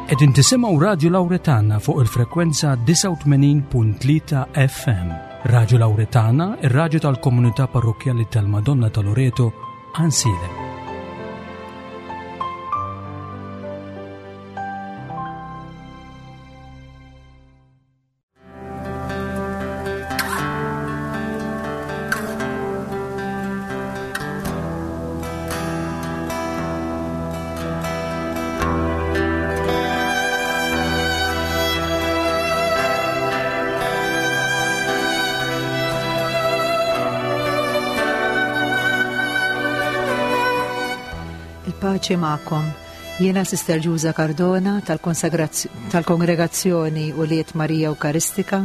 Qegħdin tisimgħu Radju Lawretana fuq il-frekwenza 89.3 FM. Radju Lawretana, ir-radju tal-komunità parrokkjali tal-Madonna ta' Loreto, Ansilem. Il-paċi magħkom. Jiena Sister Ġuża Cardona tal-Kongregazzjoni Ulied Marija Ewkaristika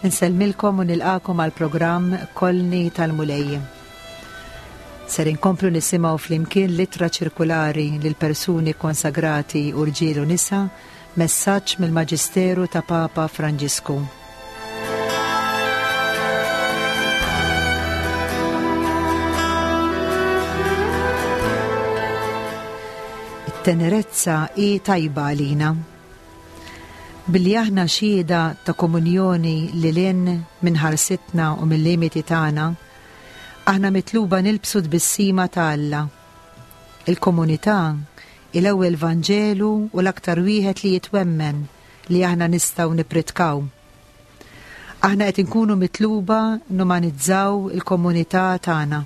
nsellmilkom u nilqakom għal programm Kolni tal-Mulej. Ser inkomplu nisimgħu flimkien l-ittra ċirkulari lil persuni konsagrati u rġiel u nisa, messaġġ mill-Maġisteru ta' Papa Franġisku. It-tenerezza hi tajba għalina. Billi aħna xhieda ta' komunjoni lil hinn minn ħarsitna u mil-limiti tagħna, aħna mitluba nilbsu tbissima ta' Alla. Il-komunità hi l-ewwel Vanġelu u l-aktar wieħed li jitwemmen li aħna nistgħu nippritkaw. Aħna qed inkunu mitluba numanizzaw il-komunità tagħna.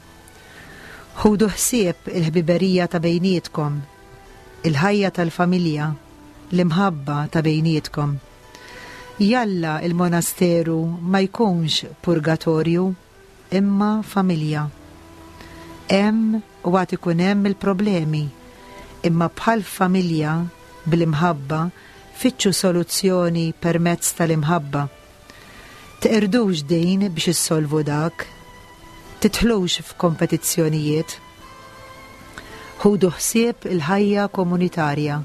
Ħudu ħsieb il-ħbiberija ta' bejnietkom, il-ħajja tal-familja, l-imħabba ta' bejnietkom. Jalla il-monasteru ma jkunx purgatorju, imma familja. Hemm u għad ikun hemm il-problemi, imma bħal familja bl-imħabba fittxu soluzzjoni permezz tal-imħabba. Teqirdux din biex issolvu dak. Tidħlux f'kompetizzjonijiet. Ħudu ħsieb il-ħajja komunitarja.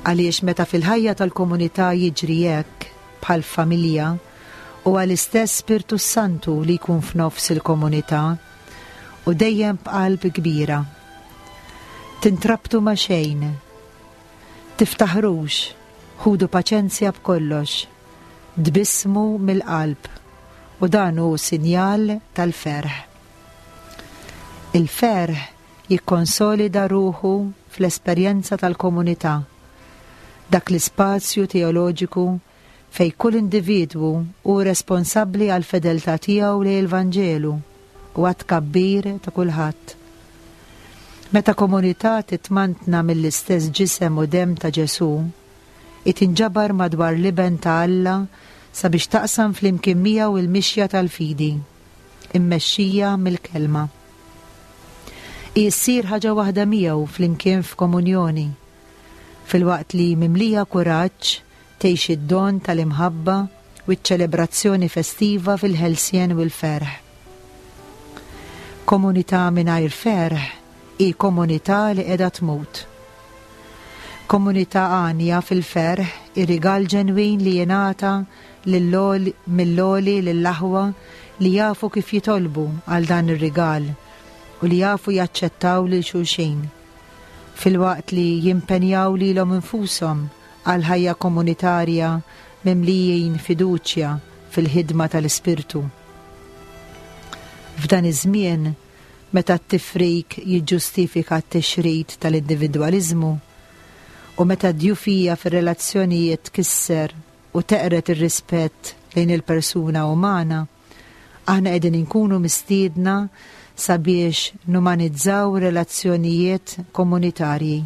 Għaliex meta fil-ħajja tal-komunità jiġri hekk, bħal f'familja, huwa l-istess Spirtu s-Santu li jkun f'nofs il-komunità u dejjem b'qalb kbira. Tintrabtu ma' xejn. Tiftaħrux, ħudu paċenzja b'kollox. Tbissmu mill-qalb u dan hu sinjal tal-ferħ. Il-ferħ jikkonsolida ruħu fl-esperjenza tal-komunità, dak l-ispazju teoloġiku fejn kull individwu hu responsabbli għall-fedeltà tiegħu lejn il-Vanġelu u għat-tkabbir ta' kulħadd. Meta komunità titmantna mill-istess ġisem u demm ta' Ġesù, hi tinġabar madwar l-Iben ta' Alla sabiex taqsam flimkien miegħu l-mixja tal-fidi, immexxija mill-Kelma. Hi ssir ħaġa waħda miegħu flimkien f'komunjoni, filwaqt li mimlija kuraġġ tgħix id-don tal-imħabba u ċ-ċelebrazzjoni festiva fil-ħelsien u l-ferħ. Komunità mingħajr ferħ hi komunità li qiegħda tmut. Komunità għanja fil-ferħ hi rigal ġenwin li jingħata mill-għoli lill-aħwa li jafu kif jitolbu għal dan ir-rigal u li jafu jaċċettaw lil xulxin, filwaqt li jimpenjaw lilhom infushom għal ħajja komunitarja mimlijin fiduċja fil-ħidma tal-Ispirtu. F'dan iż-żmien, meta t-tifrik jiġġustifika t-tixrid tal-individwaliżmu u meta d-djufija fir-relazzjonijiet tkisser u teqred ir-rispett lejn il-persuna umana, aħna qegħdin inkunu mistiedna sabiex numanizzaw relazzjonijiet komunitarji.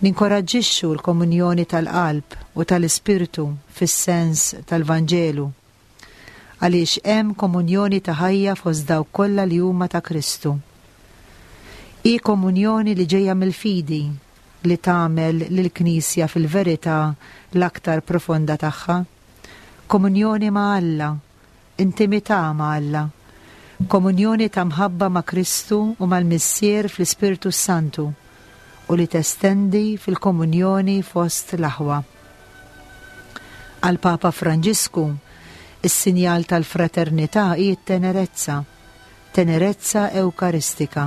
Ninkoraġġixxu l-komunjoni tal-qalb u tal-ispirtu fis-sens tal-Vanġelu, għaliex hemm komunjoni ta' ħajja fost dawk kollha li huma ta' Kristu. Hi komunjoni li ġejja mill-fidi li tagħmel lill-Knisja fil-verità l-aktar profonda tagħha, komunjoni ma' Alla, intimità ma' Alla, komunjoni ta' mħabba ma' Kristu u mal-Missier fl-Ispirtu s-Santu, u li testendi fil-komunjoni fost l-aħwa. Għall-Papa Franġisku, is-sinjal tal-fraternità hi t-tenerezza, tenerezza ewkaristika.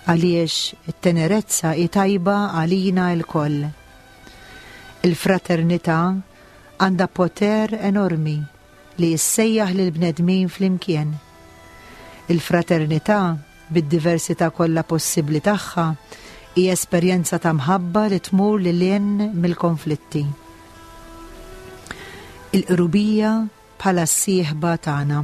Għaliex it-tenerezza hi tajba għalina lkoll. Il-fraternità għandha poter enormi li ssejjaħ lill-bnedmin flimkien. Il-fraternità, bid-diversità kollha possibbli tagħha, hi esperjenza ta' mħabba li tmur lil hinn mill-konflitti. Il-qrubija bħala s-sieħba tagħna.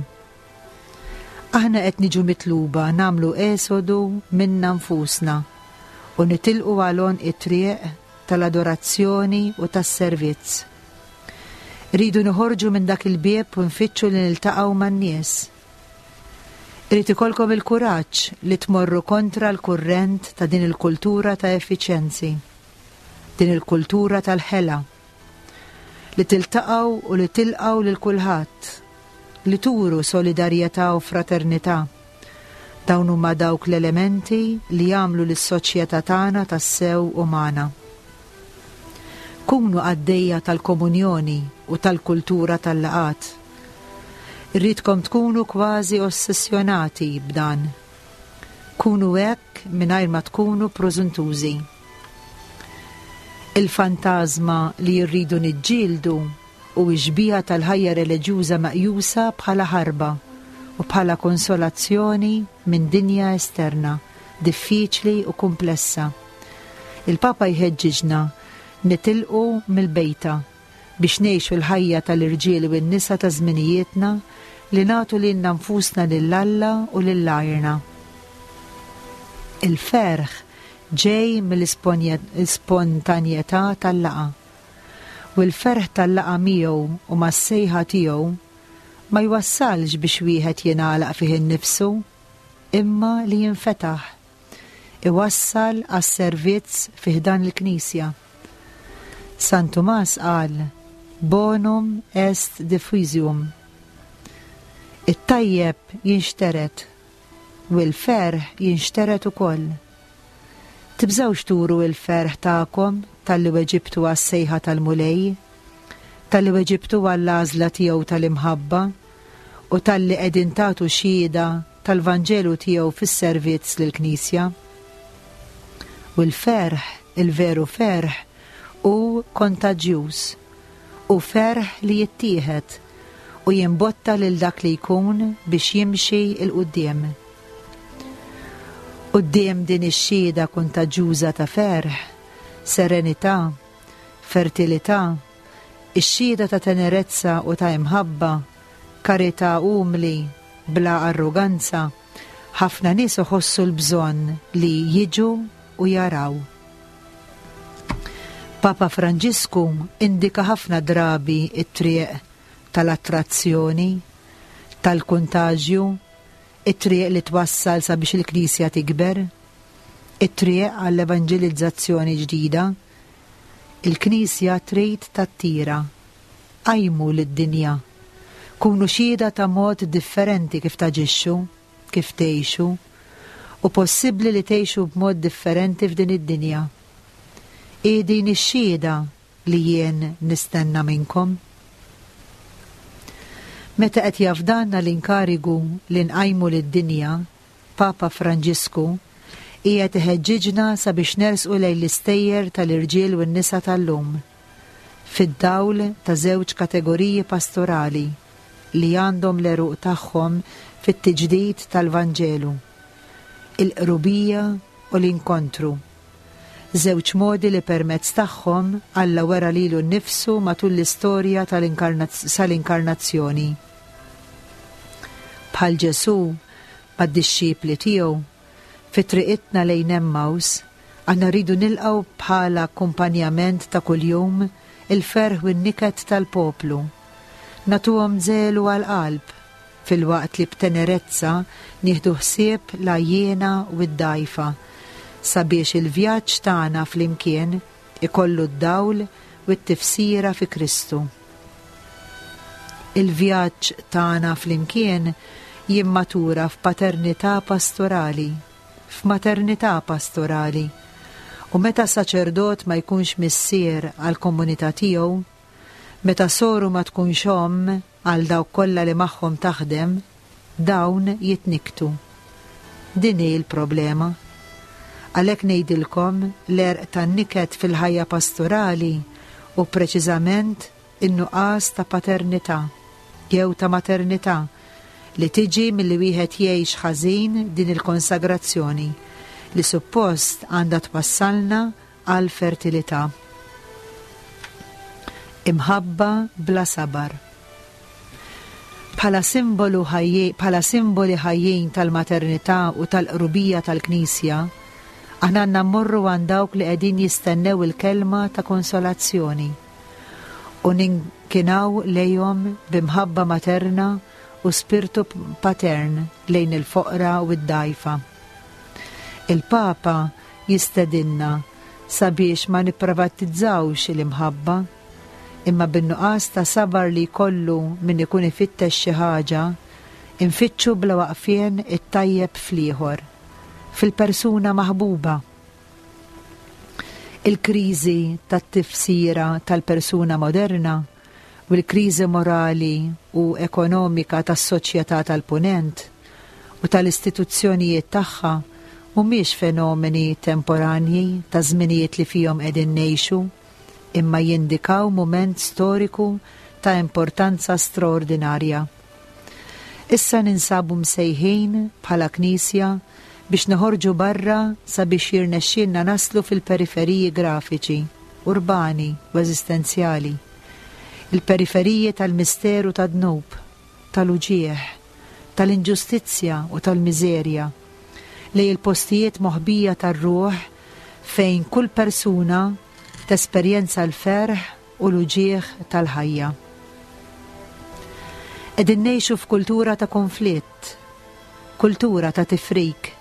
Aħna qed niġu mitluba nagħmlu esodu minna nfusna u nitilqu għal għonq it-triq tal-adorazzjoni u tas-servizz. Irridu noħorġu minn dak il-bieb u nfittxu li niltaqgħu man-nies. Irid ikollkom il-kuraġġ li tmorru kontra l-kurrent ta' din il-kultura ta' effiċjenzi, din il-kultura tal-ħela. Li tiltaqgħu u li tilqgħu lil kulħadd, li turu solidarjetà u fraternità. Dawn huma dawk l-elementi li jagħmlu lis-soċjetà tagħna tassew umana. Kunu qaddejja tal-komunjoni u tal-kultura tal-laqgħat. Irridkom tkunu kważi ossessjonati b'dan. Kunu hekk mingħajr ma tkunu prużuntużi. Il-fantażma li rridu niġġieldu hu x-xbieha tal-ħajja reliġjuża meqjusa bħala ħarba u bħala konsolazzjoni minn dinja esterna, diffiċli u kumplessa. Il-Papa jħeġġiġna nitilqu mill-bejta biex ngħixu l-ħajja tal-irġiel u n-nisa ta' żminijietna li nagħtu lilna nfusna lil Alla u lil għajrna. Il-ferħ ġej mill-ispontanjetà tal-laqgħa. U l-ferħ tal-laqgħa miegħu u mas-sejħa tiegħu ma jwassalx biex wieħed jingħalaq fih innifsu, imma li jinfetaħ. Iwassal għas-servizz fi ħdan il-Knisja. San Tumas qal, Bonum est diffusium. It-tajjeb jinxtered u l-ferħ jinxtered ukoll. Tibżgħux turu l-ferħ tagħkom talli weġibtu għas-sejħa tal-Mulej, talli weġibtu għall-għażla tiegħu tal-imħabba u talli qegħdin tagħtu xhieda tal-Vanġelu tiegħu fis-servizz lill-Knisja. U l-ferħ, il-veru ferħ, hu kontaġjuż. Hu ferħ li jittieħed u jimbotta lil dak li jkun biex jimxi 'l quddiem. Quddiem din ix-xhieda kuntaġġuża ta' ferħ, serenità, fertilità, ix-xhieda ta' tenerezza u ta' imħabba, karità umli, bla arroganza, ħafna nies iħossu l-bżonn li jiġu u jaraw. Papa Franġisku indika ħafna drabi t-triq tal-attrazzjoni, tal-kuntaġju, it-triq li twassal sabiex il-Knisja tikber, it-triq għall-evanġelizzazzjoni ġdida. Il-Knisja trid tattira. Qajmu lid-dinja. Kunu xhieda ta' mod differenti kif taġixxu, kif tgħixu. Hu possibbli li tgħixu b'mod differenti f'din id-dinja. Hi din ix-xhieda li jien nistenna minnkom. Meta qed jafdalna l-inkarigu li nqajmu lid-dinja, Papa Franġisku qiegħed iħeġġiġna sabiex nersqu lejn l-istejjer tal-irġiel u n-nisa tal-lum, fid-dawl ta' żewġ kategoriji pastorali li għandhom l-għeruq tagħhom fit-tiġdid tal-Vanġelu, il-qrubija u l-inkontru, żewġ modi li permezz tagħhom Alla wera lilu nnifsu matul l-istorja sal-Inkarnazzjoni. Bħal Ġesù mad-dixxipli tiegħu, fi triqitna lejn Emmaus, aħna rridu nilqgħu bħala akkumpanjament ta' kuljum il-ferħ u n-niket tal-poplu. Nagħtuhom żelu għall-qalb, filwaqt li b'tenerezza nieħdu ħsieb l-għajjiena u d-dgħajfa, sabiex il-vjaġġ tagħna flimkien ikollu d-dawl u t-tifsira fi Kristu. Il-vjaġġ tagħna flimkien jimmatura f'paternità pastorali, f'maternità pastorali, u meta saċerdot ma jkunx missier għall-komunità tiegħu, meta soru ma tkunx omm għal dawk kollha li magħhom taħdem, dawn jitnikktu. Din hi l-problema. Għalhekk ngħidilkom l-għerq tan-niket fil-ħajja pastorali. Hu preċiżament in-nuqqas ta' paternità jew ta' maternità li tiġi milli wieħed jgħix ħażin din il-konsagrazzjoni li suppost għandha twassalna għall-fertilità. Imħabba bla sabar. Bħala simbolu bħala simboli ħajjin tal-maternità u tal-qrubija tal-Knisja, aħna għandna mmorru għand dawk li qegħdin jistennew il-kelma ta' konsolazzjoni u ninkinaw lejhom b'imħabba materna u spirtu patern lejn il-foqra u d-dgħajfa. Il-Papa jistedinna sabiex ma nipprivatizzawx l-imħabba, imma bin-nuqqas ta' sabar li jkollu min ikun ifittex xi ħaġa, infittxu bla waqfien it-tajjeb fl-ieħor, fil-persuna maħbuba. Il-kriżi tat-tifsira tal-persuna moderna u l-kriżi morali u ekonomika tas-soċjetà tal-Punent u tal-istituzzjonijiet tagħha mhumiex fenomeni temporanji taż-żminijiet li fihom qegħdin ngħixu imma jindikaw mument storiku ta' importanza straordinarja. Issa ninsabu msejħin, bħala Knisja, biex noħorġu barra sabiex jirnexxielna naslu fil-periferiji grafiċi, urbani u eżistenzjali. Il-periferiji tal-misteru tad-dnub, tal-uġigħ, tal-inġustizzja u tal-miżerja, lejn il-postijiet moħbija tar-ruħ fejn kull persuna tesperjenza l-ferħ u l-uġigħ tal-ħajja. Qegħdin ngħixu f'kultura ta' konflitt, kultura ta' tifrik,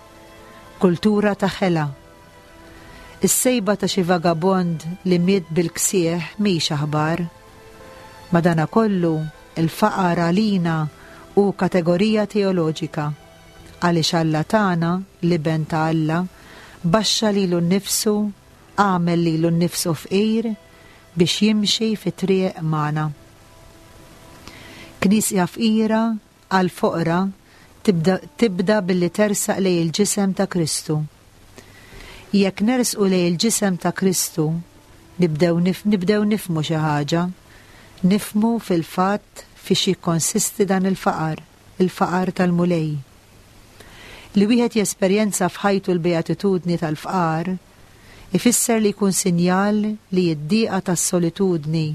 kultura ta' ħela. Is-sejba ta' xi vagabond li miet bil-ksieħ mhix aħbar. Madanakollu, il-faqar għalina hu kategorija teoloġika, għaliex Alla tagħna, l-Iben ta' Alla, baxxa lilu nnifsu, għamel lilu nnifsu fqir biex jimxi fit-triq magħna. Knisja fqira għall-foqra tibda, tibda billi tersaq lejn il-ġisem ta' Kristu. Jekk nersqu lejn il-ġisem ta' Kristu, nibdew nif, nibdew nifhmu xi ħaġa. Nifhmu fil-fatt fiex jikkonsisti dan il-faqar, il-faqar tal-Mulej. Li wieħed jesperjenza f'ħajtu l-beatitudni tal-fqar, ifisser li jkun sinjal li d-diqa tas-solitudni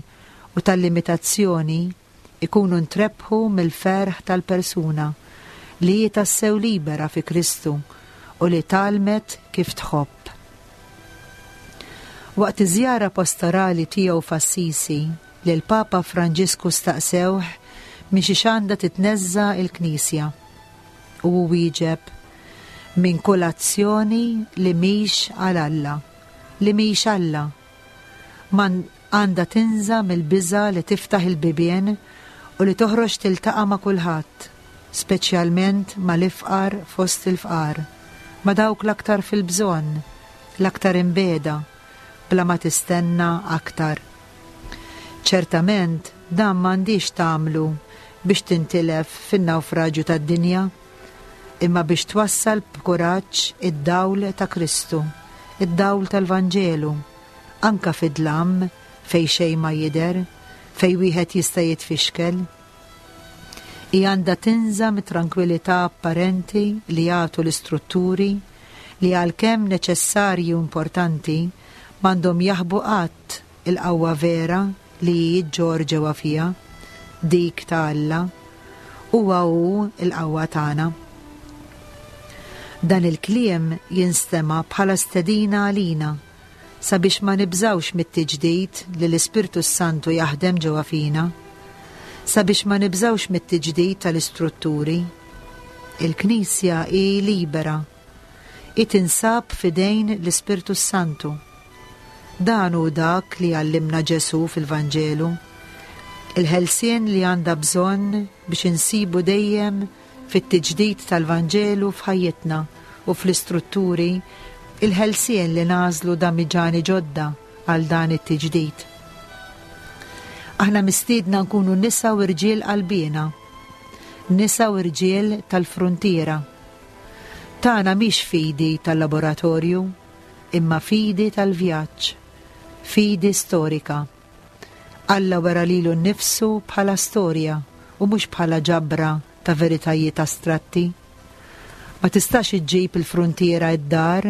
u tal-limitazzjoni jkunu ntrebħu mill-ferħ tal-persuna li hi tassew libera fi Kristu u li tgħallmet kif tħobb. Waqt iż-żjara pastorali tiegħu f'Assisi, lill-Papa Franġisku staqsewh minn xiex għandha titneżża' l-Knisja. U hu wieġeb, Minn kull azzjoni li mhix għal Alla, li mhix Alla. Ma għandha tinża' mill-biża' li tiftaħ il-bibien u li toħroġ tiltaqa' ma' kulħadd, speċjalment mal-ifqar fost il-fqar, ma' dawk l-aktar fil-bżonn, l-aktar imbiegħda, bla ma tistenna aktar. Ċertament, dan m'għandhiex tagħmlu biex tintilef fin-nawfraġju tad-dinja, imma biex twassal b'kuraġġ id-dawl ta' Kristu, id-dawl tal-Vanġelu, anke fid-dlam fejn xejn ma jidher, fejn wieħed jista' jitfixkel. Hi għandha tinża' mit-trankwilità apparenti li jagħtu l-istrutturi li għalkemm neċessarji u importanti m'għandhom jaħbu qatt il-qawwa vera li hi ġġorr ġewwa fiha, dik ta' Alla. Huwa hu l-qawwa tagħna. Dan il-kliem jinstema' bħala stedina għalina sabiex ma nibżgħux mit-tiġdid li l-Ispirtu s-Santu jaħdem ġewwa fina, sabiex ma nibżgħux mit-tiġdid tal-istrutturi. Il-Knisja hi libera. Hi tinsab f'idejn l-Ispirtu s-Santu. Dan hu dak li għallimna Ġesù fil-Vanġelu. Il-ħelsien li għandha bżonn biex insibu dejjem fit-tiġdid tal-Vanġelu f'ħajjitna u fl-istrutturi il-ħelsien li nagħżlu damiġani ġodda għal dan it-tiġdid. Aħna mistiedna nkunu nisa u rġiel qalbiena, nisa u rġiel tal-fruntiera. Tagħna mhix fidi tal-laboratorju, imma fidi tal-vjaġġ, fidi storika. Alla wera lilu nnifsu bħala storja u mhux bħala ġabra ta' veritajiet astratti. Ma tistax iġġib il-fruntiera id-dar,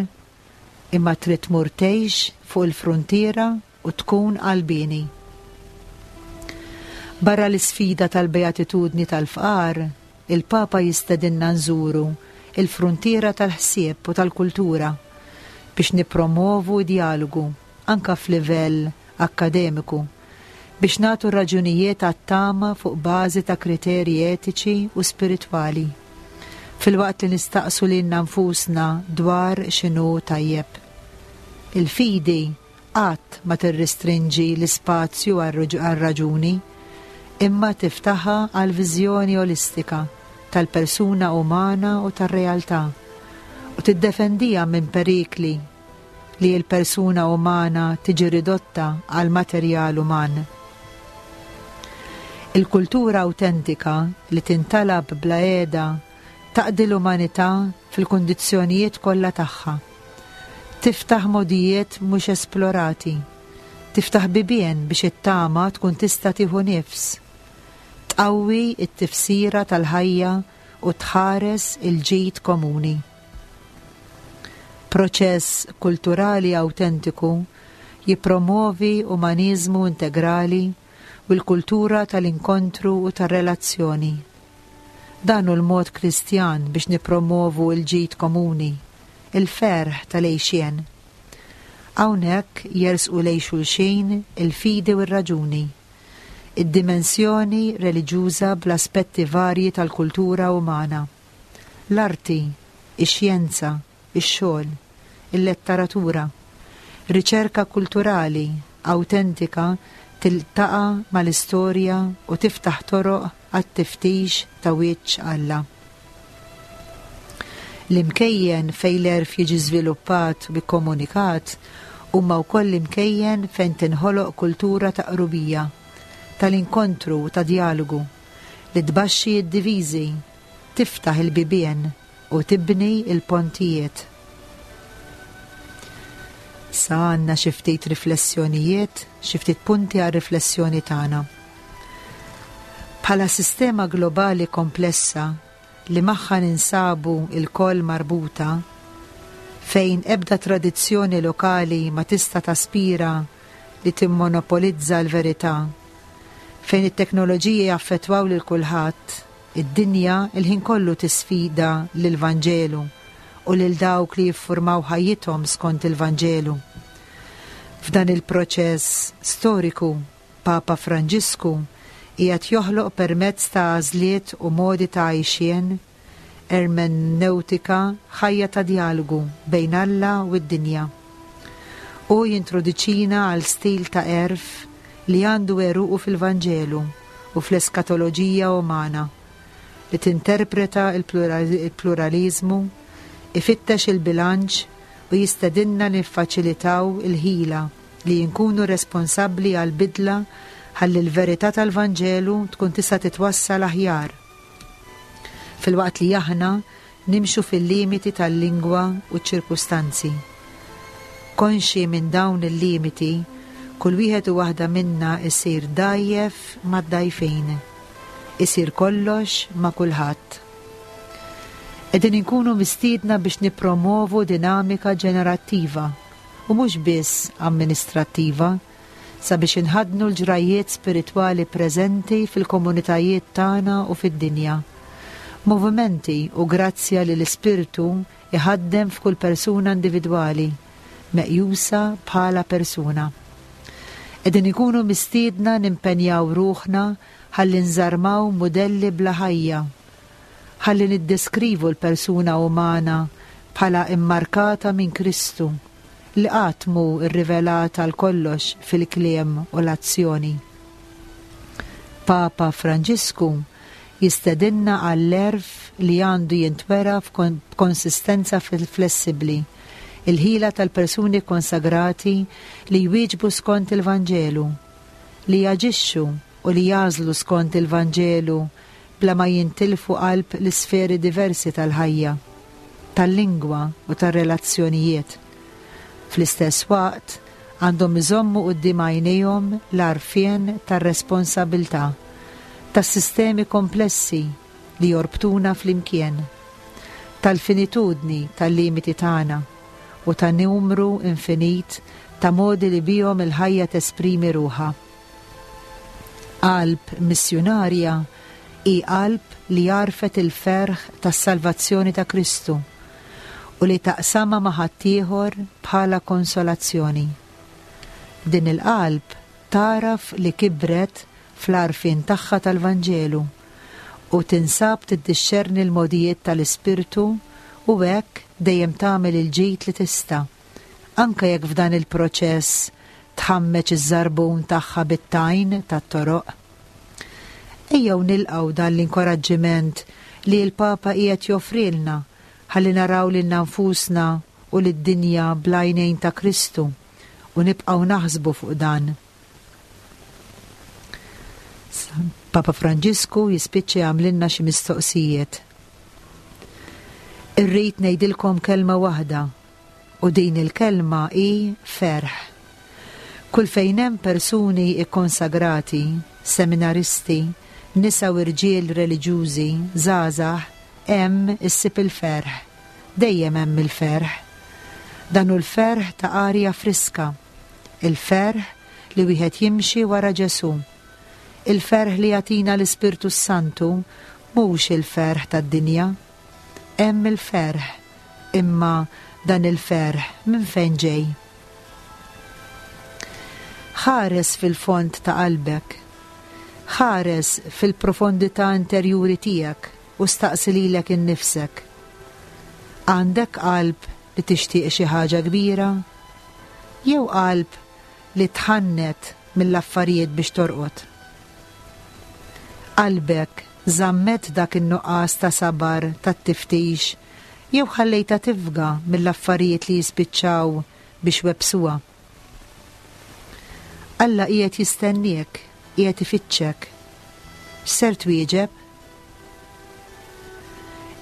imma trid tmur tgħix fuq il-fruntiera u tkun qalbieni. Barra l-isfida tal-beatitudni tal-fqar, il-Papa jistedinna nżuru l-fruntiera tal-ħsieb u tal-kultura biex nippromwovu d-djalogu, anke f'livell akkademiku, biex nagħtu raġunijiet għat-tama fuq bażi ta' kriterji etiċi u spiritwali, filwaqt li nistaqsu lilna nfusna dwar x'inhu tajjeb. Il-fidi qatt ma tirrestrinġi l-ispazju għar-raġuni, imma tiftaħha għal viżjoni olistika tal-persuna umana u tar-realtà, u tiddefendiha minn perikli li l-persuna umana tiġi ridotta għal materjal uman. Il-kultura awtentika li tintalab bla qiegħda taqdi l-umanità fil-kundizzjonijiet kollha tagħha. Tiftaħ mogħdijiet mhux esplorati. Tiftaħ bibien biex it-tama tkun tista' tieħu nifs. Tqawwi t-tifsira tal-ħajja u tħares il-ġid komuni. Proċess kulturali awtentiku jippromwovi umaniżmu integrali u l-kultura tal-inkontru u tar-relazzjoni. Dan hu l-mod Kristjan biex nippromwovu l-ġid komuni, il-ferħ tal-għixien. Hawnhekk jersqu lejn xulxin il-fidi u r-raġuni, id-dimensjoni reliġjuża bl-aspetti varji tal-kultura umana, l-arti, ix-xjenza, ix-xogħol, il-letteratura. Riċerka kulturali awtentika tiltaqa' mal-istorja u tiftaħ toroq għat-tiftix ta' wiċċ Alla. L-imkejjen fejn l-għerf jiġi żviluppat u kkomunikat huma wkoll l-imkejjen fejn tinħoloq kultura ta' qrubija, tal-inkontru u ta' djalogu, li tbaxxi d-diviżi, tiftaħ il-bibien u tibni l-pontijiet. Sa għandna xi ftit riflessjonijiet, xi ftit punti għar-riflessjoni tagħna. Bħala sistema globali komplessa li magħha ninsabu lkoll marbuta, fejn ebda tradizzjoni lokali ma tista' taspira li timmonopolizza l-verità, fejn it-teknoloġiji jaffettwaw lil kulħadd, Id-dinja l-ħin kollu tisfida lill-Vanġelu u lil dawk li jiffurmaw ħajjithom skont il-Vanġelu. F'dan il-proċess storiku, Papa Franġisku qiegħed joħloq permezz ta' għażliet u modi ta' għajxien, ermenewtika, ħajja ta' djalogu bejn Alla u d-dinja. Hu jintroduċina għal stil ta' għerf li għandu għeruqu fil-Vanġelu u fl-eskatoloġija umana, li tinterpreta l-pluraliżmu, ifittex il-bilanċ u jistedinna niffaċilitaw il-ħila li nkunu responsabbli għall-bidla ħalli l-verità tal-Vanġelu tkun tista' titwassal aħjar, filwaqt li aħna nimxu fil-limiti tal-lingwa u ċ-ċirkustanzi. Konxji minn dawn il-limiti, kull wieħed u waħda minna jsir dgħajjef mad-dgħajfin. Isir kollox ma' kulħadd. Qegħdin inkunu mistiedna biex nippromwovu dinamika ġenerattiva u mhux biss amministrattiva sabiex inħaddnu l-ġrajjiet spiritwali preżenti fil-komunitajiet tagħna u fid-dinja. Movimenti u grazzja li l-Ispirtu jħaddem f'kull persuna individwali, meqjusa bħala persuna. Qegħdin ikunu mistiedna nimpenjaw ruħna ħalli nżarmaw mudelli bla ħajja, ħalli niddeskrivu l-persuna umana bħala immarkata minn Kristu, li qatt mhu rrivelat għal kollox fil-kliem u l-azzjoni. Papa Franġisku jistedinna għall-għerf li għandu jintwera b'konsistenza flessibbli, il-ħila tal-persuni kkonsagrati li jwieġbu skont il-Vanġelu, li jaġixxu u li jagħżlu skont il-Vanġelu bla ma jintilfu qalb l-isferi diversi tal-ħajja, tal-lingwa u tar-relazzjonijiet. Fl-istess waqt, għandhom iżommu quddiem għajnejhom l-għarfien tar-responsabilità, tas-sistemi komplessi li jorbtuna flimkien, tal-finitudni tal-limiti tagħna u ta' numru infinit ta' modi li bihom il-ħajja tesprimi ruħha. Qalb missjunarja hi qalb li għarfet il-ferħ tas-salvazzjoni ta' Kristu u li taqsamha ma' ħaddieħor bħala konsolazzjoni. Din il-qalb tagħraf li kibret fl-għarfien tagħha tal-Vanġelu u tinsab tiddixxerni l-mogħdijiet tal-Ispirtu u hekk dejjem tagħmel il-ġid li tista', anke jekk f'dan il-proċess tħammeġ iż-żarbun tagħha bit-tajn tat-toroq. Ejjew nilqgħu dan l-inkoraġġiment li l-Papa qiegħed joffrilna ħalli naraw lilna nfusna u lid-dinja bl-għajnejn ta' Kristu u nibqgħu naħsbu fuq dan. Papa Franġisku jispiċċa jagħmlilna xi mistoqsijiet. Irrid ngħidilkom kelma waħda u din il-kelma hi ferħ. Kull fejn hemm persuni kkonsagrati, seminaristi, nisa u rġiel reliġjużi, żgħażagħ, hemm issib il-ferħ. Dejjem hemm il-ferħ. Dan hu l-ferħ ta' arja friska. Il-ferħ li wieħed jimxi wara Ġesù. Il-ferħ li jagħtina l-Ispirtu s-Santu mhux il-ferħ tad-dinja. Hemm il-ferħ, imma dan il-ferħ minn fejn ġej? Ħares fil-fond ta' qalbek. Ħares fil-profondità interjuri tiegħek u staqsi lilek innifsek. Għandek qalb li tixtieq xi ħaġa kbira? Jew qalb li tħannet mill-affarijiet biex torqod? Qalbek żammet dak in-nuqqas ta' sabar tat-tiftix jew ħallejtha tifga mill-affarijiet li jispiċċaw biex webbsuha? Alla qiegħed jistenniek, qiegħed ifittxek. X'ser twieġeb?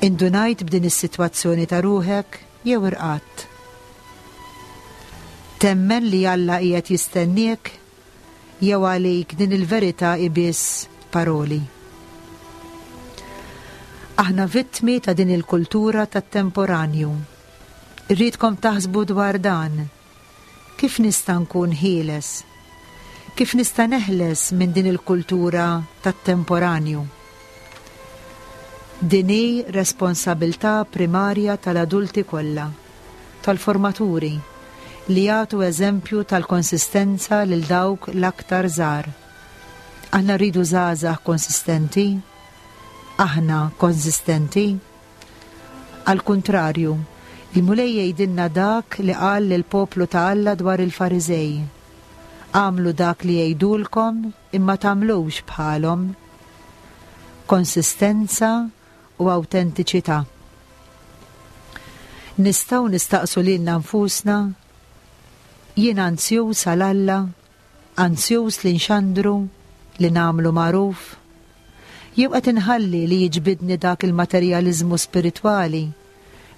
Indunajt b'din is-sitwazzjoni ta' ruħek jew irqadt? Temmen li Alla qiegħed jistenniek jew għalik din il-verità hi biss paroli? Aħna vittmi ta' din il-kultura tat-temporanju. Irridkom taħsbu dwar dan. Kif nista' nkun ħieles? Kif nista' neħles minn din il-kultura tat-temporanju? Din hi responsabilità primarja tal-adulti kollha, tal-formaturi, li jagħtu eżempju tal-konsistenza lil dawk l-aktar żgħar. Aħna rridu żgħażagħ konsistenti? Aħna konsistenti? Għall-kuntrarju, il-Mulej jgħidilna dak li qal lill-poplu ta' Alla dwar il-Fariżej, Agħmlu dak li jgħidulkom imma tagħmlux bħalhom. Konsistenza u awtentiċità. Nistgħu nistaqsu lilna nfusna, Jien anzjuż għal Alla? Anzjuż li nxandru, li nagħmlu magħruf? Jew qed inħalli li jiġbidni dak il-materjaliżmu spiritwali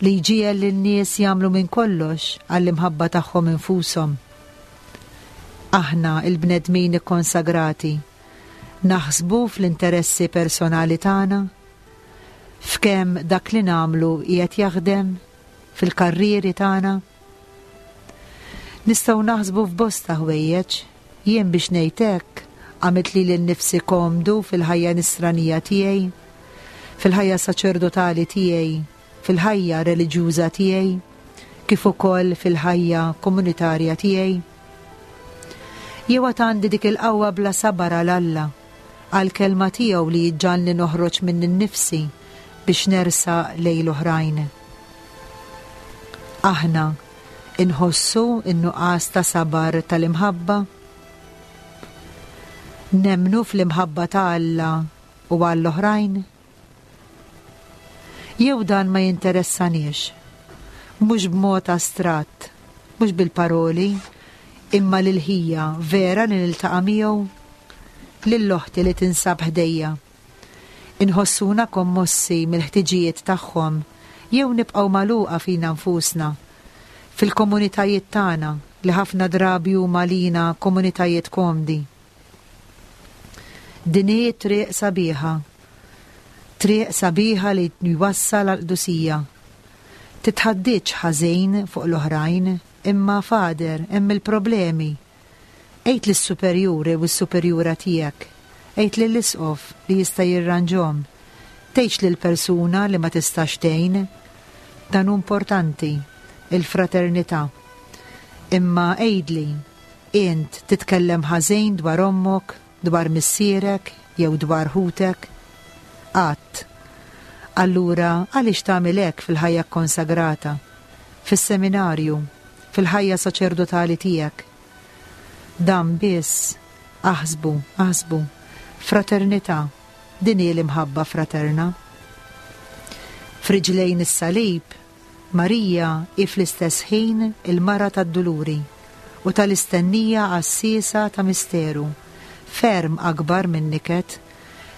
li jġiegħel lin-nies jagħmlu minn kollox għall-imħabba tagħhom infushom? Aħna l-bnedmin ikkonsagrati naħsbu fl-interessi personali tagħna? F'kemm dak li nagħmlu qiegħed jaħdem? Fil-karrieri tagħna? Nistgħu naħsbu f'bosta ħwejjeġ. Jien biex ngħid hekk, għamilt lili nnifsi komdu fil-ħajja nisranija tiegħi, fil-ħajja saċerdotali tiegħi, fil-ħajja reliġjuża tiegħi, kif ukoll fil-ħajja komunitarja tiegħi. Jew għad għandi dik il-qawwa bla sabar għal Alla, għall-kelma tiegħu li jġagħalni noħroġ minni nnifsi biex nersaq lejn l-oħrajn. Aħna nħossu n-nuqqas ta' sabar tal-imħabba? Nemmnu fl-imħabba ta' Alla u għall-oħrajn? Jew dan ma jinteressaniex? Mhux b'mod astratt, mhux bil-paroli, imma lil ħija vera li niltaqa' miegħu, lil oħti li tinsab ħdejja. Inħossuna kommossi mill-ħtiġijiet tagħhom jew nibqgħu magħluqa fina nfusna, fil-komunitajiet tagħna li ħafna drabi huma għalina komunitajiet komdi. Din hi triq sabiħa. Triq sabiħa li jwassal għall-qdusija. Titħaddidx ħażin fuq l-oħrajn, imma Father, hemm il-problemi. Għid lis-superjur jew is-superjura tiegħek. Għid lill-isqof li jista' jirranġhom. Tgħidx lill-persuna li ma tistax tgħin. Dan hu importanti, il-fraternità. Imma għidli, int titkellem ħażin dwar ommok, dwar missierek jew dwar ħutek? Qatt. Allura għaliex tagħmel hekk fil-ħajja kkonsagrata, fis-seminarju, fil-ħajja saċerdotali tiegħek? Dan biss, aħsbu, aħsbu, fraternità, din hi l-imħabba fraterna. F'riġlejn is-salib, Marija hi fl-istess ħin il-Mara tad-Duluri u tal-istennija għassiesa ta' misteru ferm akbar min-niket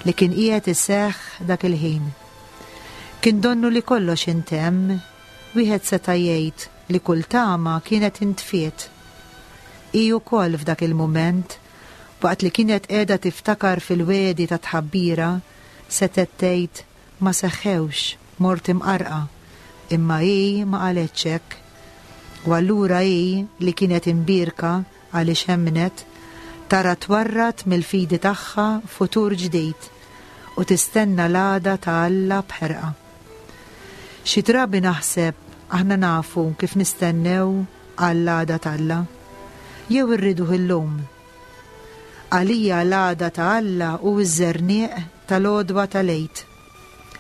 li kien qiegħed iseħħ dak il-ħin. Kien donnu li kollox intemm, wieħed seta' jgħid li kull tama kienet intfiet. Hi wkoll f'dak il-mument, waqt li kienet qiegħda tiftakar fil-wegħdi tat-tħabbira, setgħet tgħid, Ma seħħewx, mort imqarrqa. Imma hi ma qaletx hekk. U allura hi, li kienet imbierka għaliex emmnet, tara twarrad mill-fidi tagħha futur ġdid u tistenna l-għada ta' Alla b'ħerqa. Xi drabi naħseb aħna nafu kif nistennew għall-għada t'Alla. Jew irriduh illum. Għalija l-għada ta' Alla hu ż-żerniq tal-għodwa tal-Għid,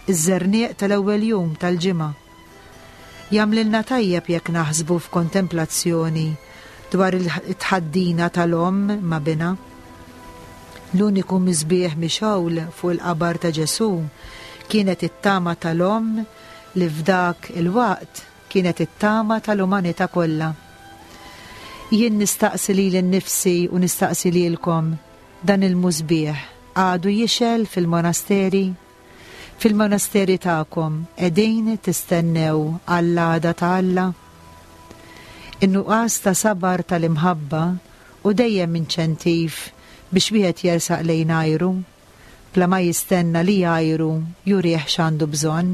iż-żerniq tal-ewwel jum tal-ġimgħa. Jagħmlilna tajjeb jekk naħsbu f'kontemplazzjoni dwar it-tħaddina tal-omm ma' binha. L-uniku misbieħ mixgħul fuq il-qabar ta' Ġesù kienet it-tama tal-omm li f'dak il-waqt kienet it-tama tal-umanità kollha. Jien nistaqsi lili nnifsi u nistaqsi lilkom, dan il-musbieħ għadu jixgħel fil-monasteri? Fil-monasteri tagħkom qegħdin tistennew għall-għada ta' Alla? In-nuqqas ta' sabar tal-imħabba hu dejjem inċentiv biex wieħed jersaq lejn għajru. bla ma jistenna li għajru jurih x'għandu bżonn.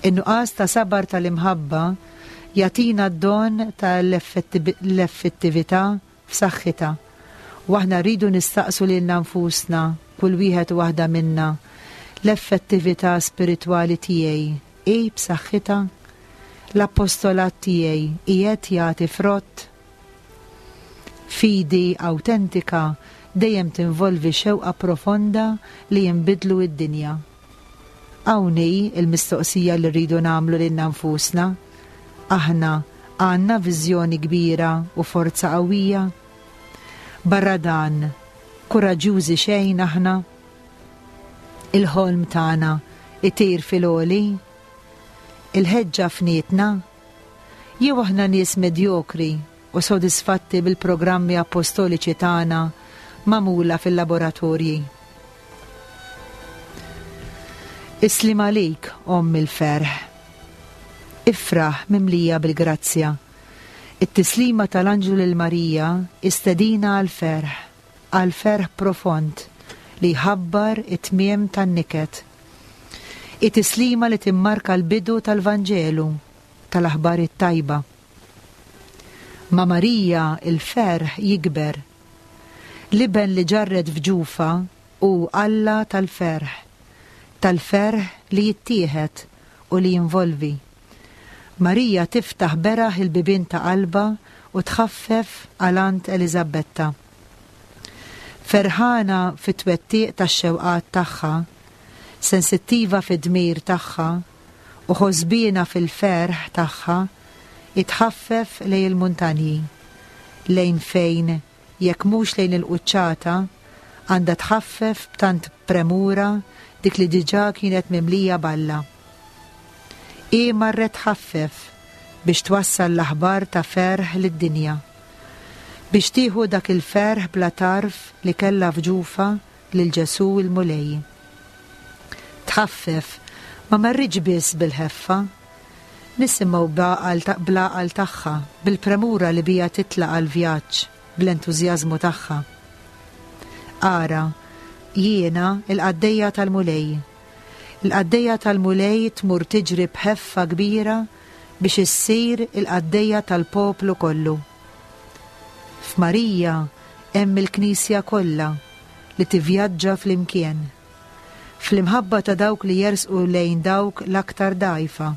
In-nuqqas ta' sabar tal-imħabba jagħtina d-don ta' l-effettività f'saħħitha, u aħna rridu nistaqsu lilna nfusna, kull wieħed u waħda minna, L-effettività spiritwali tiegħi hi b'saħħitha? L-appostolat tiegħi qiegħed jagħti frott? Fidi awtentika dejjem tinvolvi xewqa profonda li jinbidlu d-dinja. Hawn hi l-mistoqsija li rridu nagħmlu lilna nfusna, Aħna għandna viżjoni kbira u forza qawwija? Barra dan, kuraġġjużi xejn aħna? Il-ħolm tagħna jtir fil-għoli? Il-ħeġġa fnietna? Jew aħna nies medjokri u sodisfatti bil-programmi appostoliċi tagħna magħmula fil-laboratorji? Is-sliem għalik, Omm il-ferħ. Ifraħ mimlija bil-grazzja. It-tislima tal-anġlu lil Marija hi stedina għall-ferħ, għall-ferħ profond li jħabbar it-tmiem tan-niket. Hi tislima li timmarka l-bidu tal-Vanġelu, tal-Aħbar it-Tajba. Ma' Marija l-ferħ jikber. L-Iben li ġarret f'ġufha hu Alla tal-ferħ, tal-ferħ li jittieħed u li jinvolvi. Marija tiftaħ beraħ il-bibien ta' qalbha u tħaffef għal għand Eliżabetta. Ferħana fit-twettiq tax-xewqat tagħha, sensittiva fid-dmir tagħha u ħosbiena fil-ferħ tagħha, hi tħaffef lejn il-muntanji, lejn fejn, jekk mhux lejn il-quċċata, għandha tħaffef b'tant premura dik li diġà kienet mimlija b'Alla. Hi marret tħaffef biex twassal l-aħbar ta' ferħ lid-dinja. Biex tieħu dak il-ferħ bla tarf li kellha f'ġufha lil Ġesù l-Mulej. Tħaffef, ma marritx biss bil-ħeffa. Nisimgħu bl-għaqal tagħha, bil-premura li biha titlaq għall-vjaġġ, bl-entużjażmu tagħha. Ara, jiena l-qaddejja tal-Mulej. Il-qaddejja tal-Mulej tmur tiġri b'ħeffa kbira biex issir il-qaddejja tal-poplu kollu. F'Marija hemm il-Knisja kollha li tivvjaġġa flimkien. Fl-imħabba ta' dawk li jersqu lejn dawk l-aktar dgħajfa.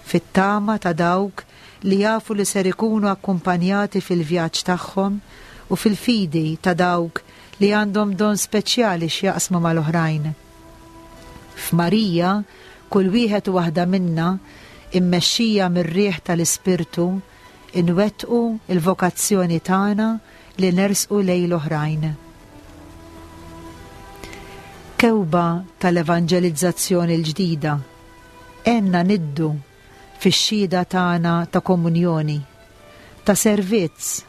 Fit-tama ta' dawk li jafu li ser ikunu akkumpanjati fil-vjaġġ tagħhom u fil-fidi ta' dawk li għandhom don speċjali x'jaqsmu mal-oħrajn. F'Marija, kull wieħed u waħda minna, immexxija mir-riħ tal-Ispirtu, inwettqu l-vokazzjoni tagħna li nersqu lejn l-oħrajn. Kewba tal-evanġelizzazzjoni l-ġdida, għenna niddu fix-xhieda tagħna ta' komunjoni, ta' servizz,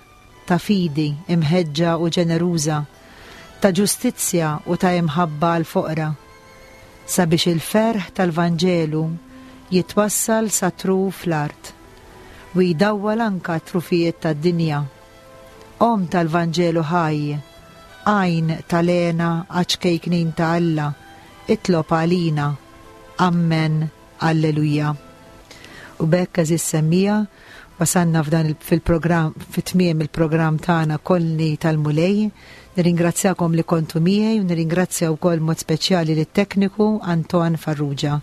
ta' fidi imħeġġa u ġeneruża, ta' ġustizzja u ta' imħabba għall-foqra, sabiex il-ferħ tal-Vanġelu jitwassal sa truf l-art u jdawwal anka t-trufijiet tad-dinja. Omm tal-Vanġelu ħaj, għajn tal-hena għaċ-ċkejknin ta' Alla, itlob għalina. Ammen. Alleluja. U b'hekk għeżież semmiegħa, wasalna f'dan fil-programm fi tmiem il-programm tagħna Kollni tal-Mulej. Nirringrazzjakom li kontu miegħi u nirringrazzja wkoll mod speċjali lit-tekniku Anton Farrugia.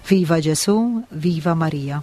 Viva Ġesù, viva Marija.